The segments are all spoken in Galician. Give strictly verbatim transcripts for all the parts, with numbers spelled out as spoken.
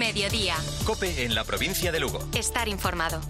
Mediodía. COPE en la provincia de Lugo. Estar informado.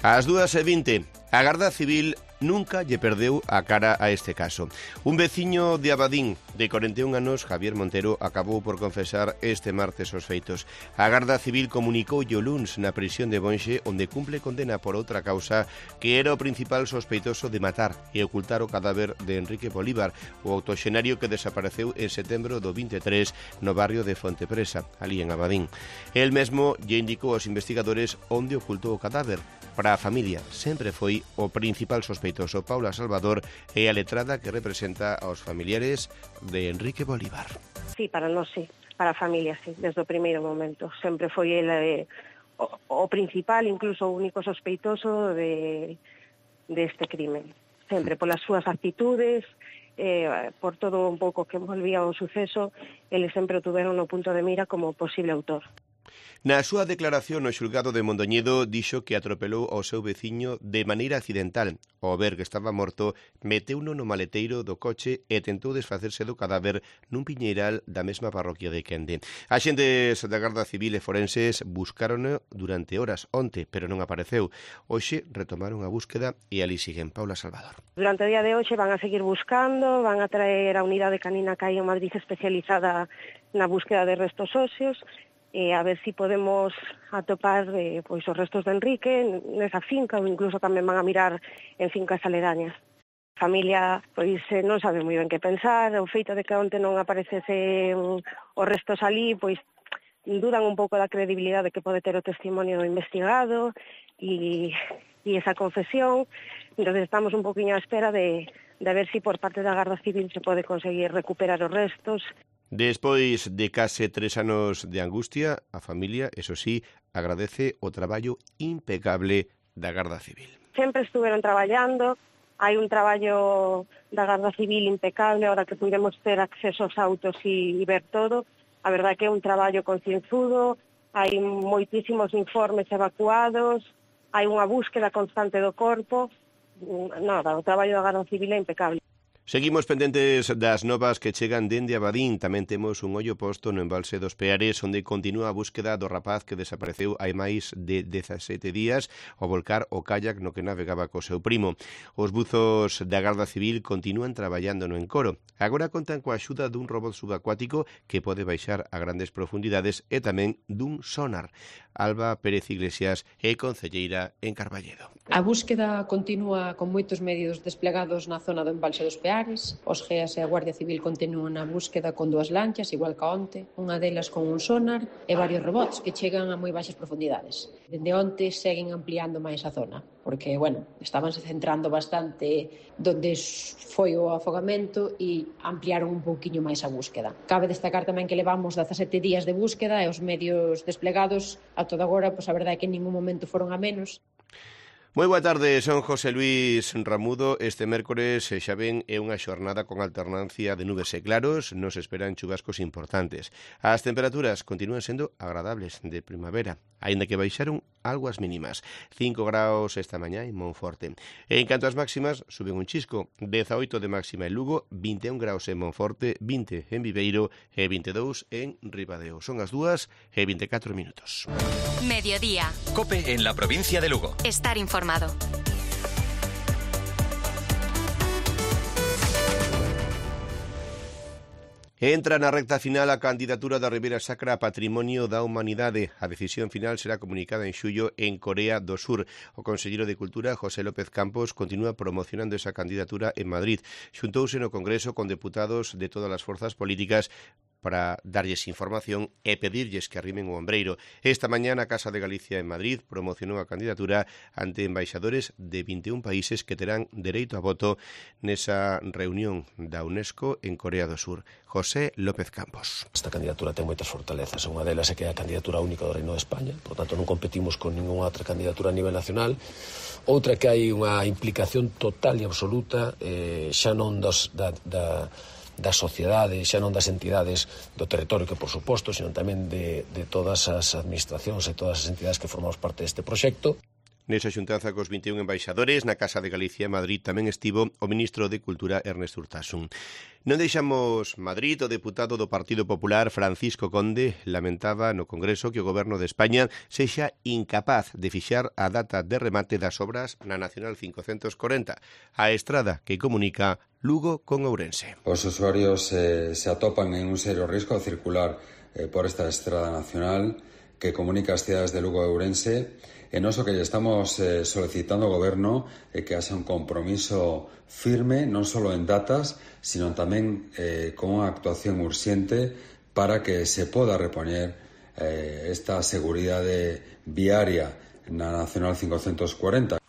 Ás dúas e vinte, a Garda Civil nunca lle perdeu a cara a este caso. Un veciño de Abadín, de corenta e un anos, Javier Montero, acabou por confesar este martes os feitos. A Garda Civil comunicou o luns na prisión de Bonxe, onde cumple condena por outra causa, que era o principal sospeitoso de matar e ocultar o cadáver de Enrique Bolívar, o octoxenario que desapareceu en setembro do vinte e tres no barrio de Fontepresa, ali en Abadín. El mesmo lle indicou aos investigadores onde ocultou o cadáver. Para a familia sempre foi o principal sospeitoso. Paula Salvador é a letrada que representa aos familiares de Enrique Bolívar. Sí, para nós sí, para a familia sí, desde o primeiro momento. Sempre foi el eh, o, o principal, incluso o único sospeitoso de, de este crimen. Sempre polas súas actitudes, eh, por todo un pouco que envolvía o suceso, eles sempre o tuveron no punto de mira como posible autor. Na súa declaración no xulgado de Mondoñedo dixo que atropelou ao seu veciño de maneira accidental. Ao ver que estaba morto, meteuno no maleteiro do coche e tentou desfacerse do cadáver nun piñeiral da mesma parroquia de Quende. Axentes da Garda Civil e forenses buscarono durante horas onte, pero non apareceu. Hoxe retomaron a búsqueda e ali siguen. Paula Salvador. Durante o día de hoxe van a seguir buscando, van a traer a unidade canina que hai en Madrid especializada na búsqueda de restos óseos, e a ver si podemos atopar eh, pois os restos de Enrique nesa finca, ou incluso tamén van a mirar en fincas aledañas. A familia pois eh, non sabe moi ben que pensar, o feito de que onte non aparecese um, os restos ali, pois dudan un pouco da credibilidade que pode ter o testimonio do investigado e, e esa confesión. Entón estamos un poquinho á espera de, de ver si por parte da Garda Civil se pode conseguir recuperar os restos. Despois de case tres anos de angustia, a familia, eso sí, agradece o traballo impecable da Garda Civil. Sempre estuveron traballando, hai un traballo da Garda Civil impecable, ahora que pudemos ter acceso aos autos e, e ver todo. A verdade que é un traballo concienzudo, hai moitísimos informes evacuados, hai unha búsqueda constante do corpo. Nada, o traballo da Garda Civil é impecable. Seguimos pendentes das novas que chegan dende Abadín. Tamén temos un ollo posto no embalse dos Peares, onde continúa a búsqueda do rapaz que desapareceu hai máis de dezasete días ao volcar o kayak no que navegaba co seu primo. Os buzos da Garda Civil continúan traballando no encoro. Agora contan coa axuda dun robot subacuático que pode baixar a grandes profundidades e tamén dun sonar. Alba Pérez Iglesias é concelleira en Carballedo. A búsqueda continúa con moitos medios desplegados na zona do embalse dos Peares. Os G E A S e a Guardia Civil continúan a búsqueda con dúas lanchas, igual que onte, unha delas con un sonar e varios robots que chegan a moi baixas profundidades. Dende onte seguen ampliando máis a zona, porque, bueno, estabanse centrando bastante donde foi o afogamento e ampliaron un pouquiño máis a búsqueda. Cabe destacar tamén que levamos dezasete días de búsqueda e os medios desplegados a toda agora, pois a verdade é que en ningún momento foron a menos. Moi boa tarde, son José Luis Ramudo. Este mércores xa ven é unha xornada con alternancia de nubes e claros, nos esperan chubascos importantes. As temperaturas continúan sendo agradables de primavera, aínda que baixaron algo as mínimas. cinco graus esta mañá en Monforte. En canto ás máximas, suben un chisco, dezaoito de máxima en Lugo, vinte e un graus en Monforte, vinte en Viveiro e vinte e dous en Ribadeo. Son as dúas e vinte e catro minutos. Mediodía. COPE en la provincia de Lugo. Estar informado. Entra na recta final a candidatura da Ribeira Sacra a Patrimonio da Humanidade. A decisión final será comunicada en xullo en Corea do Sur. O conselleiro de Cultura, José López Campos, continúa promocionando esa candidatura en Madrid. Xuntouse no Congreso con deputados de todas as forzas políticas para darlles información e pedirlles que arrimen o ombreiro. Esta mañá na Casa de Galicia en Madrid promocionou a candidatura ante embaixadores de vinte e un países que terán dereito a voto nesa reunión da UNESCO en Corea do Sur. José López Campos. Esta candidatura ten moitas fortalezas. Unha delas é que é a candidatura única do Reino de España, por tanto non competimos con ninguna outra candidatura a nivel nacional. Outra que hai unha implicación total e absoluta, eh, xa non dos, da, da da sociedade, xa non das entidades do territorio, que por suposto, sino tamén de, de todas as administracións e todas as entidades que formamos parte deste proxecto. Nesa xuntanza cos vinte e un embaixadores na Casa de Galicia, Madrid, tamén estivo o ministro de Cultura, Ernesto Urtasun. Non deixamos Madrid. O deputado do Partido Popular, Francisco Conde, lamentaba no Congreso que o Goberno de España sexa incapaz de fixar a data de remate das obras na Nacional quinhentos corenta, a estrada que comunica Lugo con Ourense. Os usuarios eh, se atopan en un serio risco ao circular eh, por esta estrada nacional que comunica as cidades de Lugo e Ourense. E nós o que lle estamos eh, solicitando ao Goberno é que haxa un compromiso firme, non só en datas, sino tamén eh, con unha actuación urxente para que se poda repoñer eh, esta seguridade viaria na Nacional quinhentos corenta.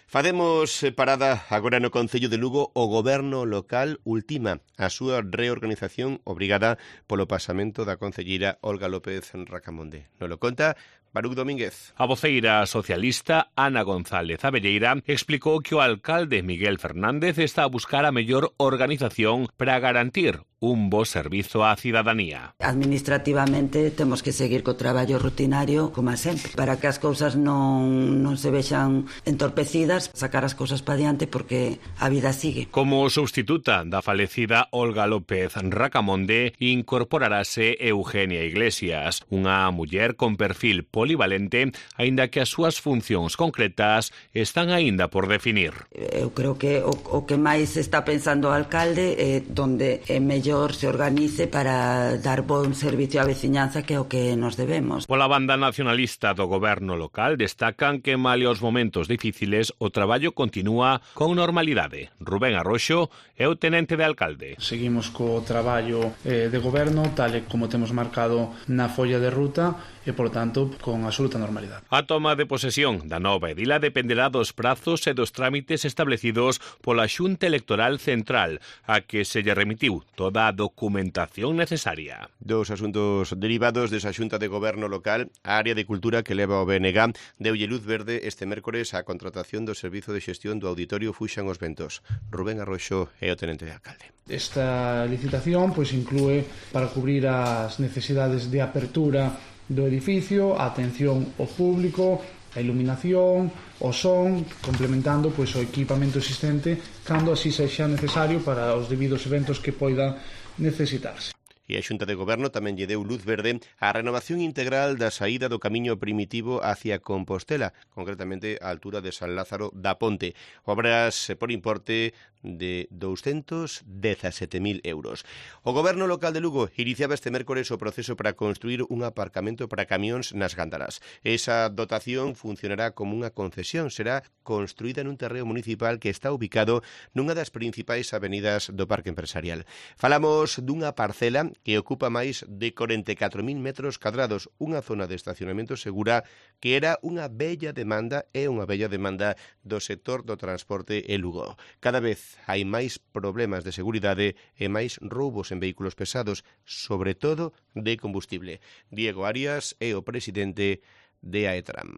Facemos parada agora no Concello de Lugo. O Goberno local ultima a súa reorganización obrigada polo pasamento da concelleira Olga López Racamonde. Nos lo conta Baruch Domínguez. A voceira socialista Ana González Abelleira explicou que o alcalde Miguel Fernández está a buscar a mellor organización para garantir un bo servizo á cidadanía. Administrativamente temos que seguir co traballo rutinario como sempre, para que as cousas non, non se vexan entorpecidas, sacar as cousas para diante porque a vida sigue. Como substituta da falecida Olga López Racamonde incorporarase Eugenia Iglesias, unha muller con perfil polivalente, aínda que as súas funcións concretas están aínda por definir. Eu creo que o, o que máis está pensando o alcalde é donde é mellor se organice para dar bon servicio á veciñanza, que é o que nos debemos. Pola banda nacionalista do goberno local destacan que male os momentos difíciles o traballo continúa con normalidade. Rubén Arroxo é o tenente de alcalde. Seguimos co traballo eh, de goberno tal e como temos marcado na folla de ruta e, por tanto, con absoluta normalidade. A toma de posesión da nova edila dependerá dos prazos e dos trámites establecidos pola Xunta Electoral Central, a que se lle remitiu toda a documentación necesaria. Dos asuntos derivados desa Xunta de Goberno local, a área de cultura que leva o B N G deulle luz verde este mércores á contratación do Servizo de Xestión do Auditorio Fuxan os Ventos. Rubén Arroxo é o tenente de alcalde. Esta licitación pois inclúe para cubrir as necesidades de apertura do edificio, a atención ao público, a iluminación, o son, complementando pois o equipamento existente cando así sexa necesario para os debidos eventos que poidan necesitarse. E a Xunta de Goberno tamén lle deu luz verde á renovación integral da saída do camiño primitivo hacia Compostela, concretamente á altura de San Lázaro da Ponte. Obras por importe de douscentos dezasete mil euros. O Goberno local de Lugo iniciaba este mércores o proceso para construir un aparcamento para camións nas Gándaras. Esa dotación funcionará como unha concesión, será construída nun terreo municipal que está ubicado nunha das principais avenidas do Parque Empresarial. Falamos dunha parcela que ocupa máis de corenta e catro mil metros cadrados, unha zona de estacionamento segura que era unha bella demanda e unha bella demanda do sector do transporte en Lugo. Cada vez hai máis problemas de seguridade e máis roubos en vehículos pesados, sobre todo de combustible. Diego Arias é o presidente de AETRAM.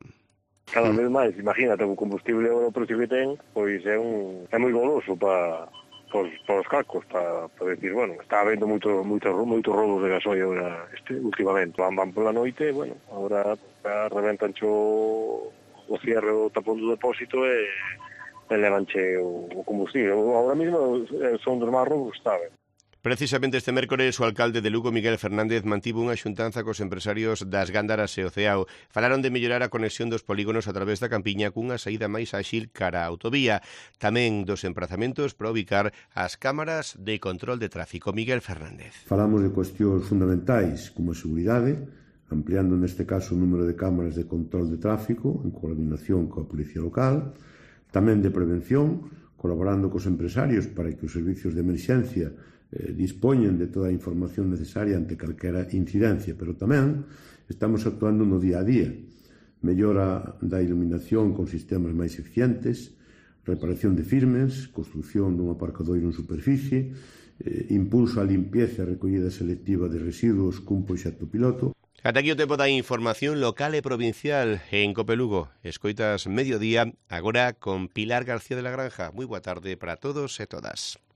Cada vez máis, imagínate, o combustible o precio que ten, pois é un é moi goloso para Por, por os cacos, para, para decir, bueno, está habendo moito, moito, moito robos de gasoil agora, este, últimamente. Van, van pola noite, bueno, agora reventan o, o cierre do tapón do depósito e, e levanche o, o combustible. Agora mesmo son dos máis robos que está, ben. Precisamente este mércores o alcalde de Lugo, Miguel Fernández, mantivo unha xuntanza cos empresarios das Gándaras e o Ceao. Falaron de mellorar a conexión dos polígonos a través da Campiña cunha saída máis áxil cara á autovía. Tamén dos emprazamentos para ubicar as cámaras de control de tráfico. Miguel Fernández. Falamos de cuestións fundamentais como a seguridade, ampliando neste caso o número de cámaras de control de tráfico en coordinación coa Policía Local, tamén de prevención, colaborando cos empresarios para que os servicios de emerxencia eh, dispoñen de toda a información necesaria ante calquera incidencia, pero tamén estamos actuando no día a día. Mellora da iluminación con sistemas máis eficientes, reparación de firmes, construción dun aparcadoiro en superficie, eh, impulso á limpieza e recollida selectiva de residuos cun proxecto piloto. Ata aquí o tempo da información local e provincial en Cope Lugo. Escoitas Mediodía, agora con Pilar García de la Granja. Moi boa tarde para todos e todas.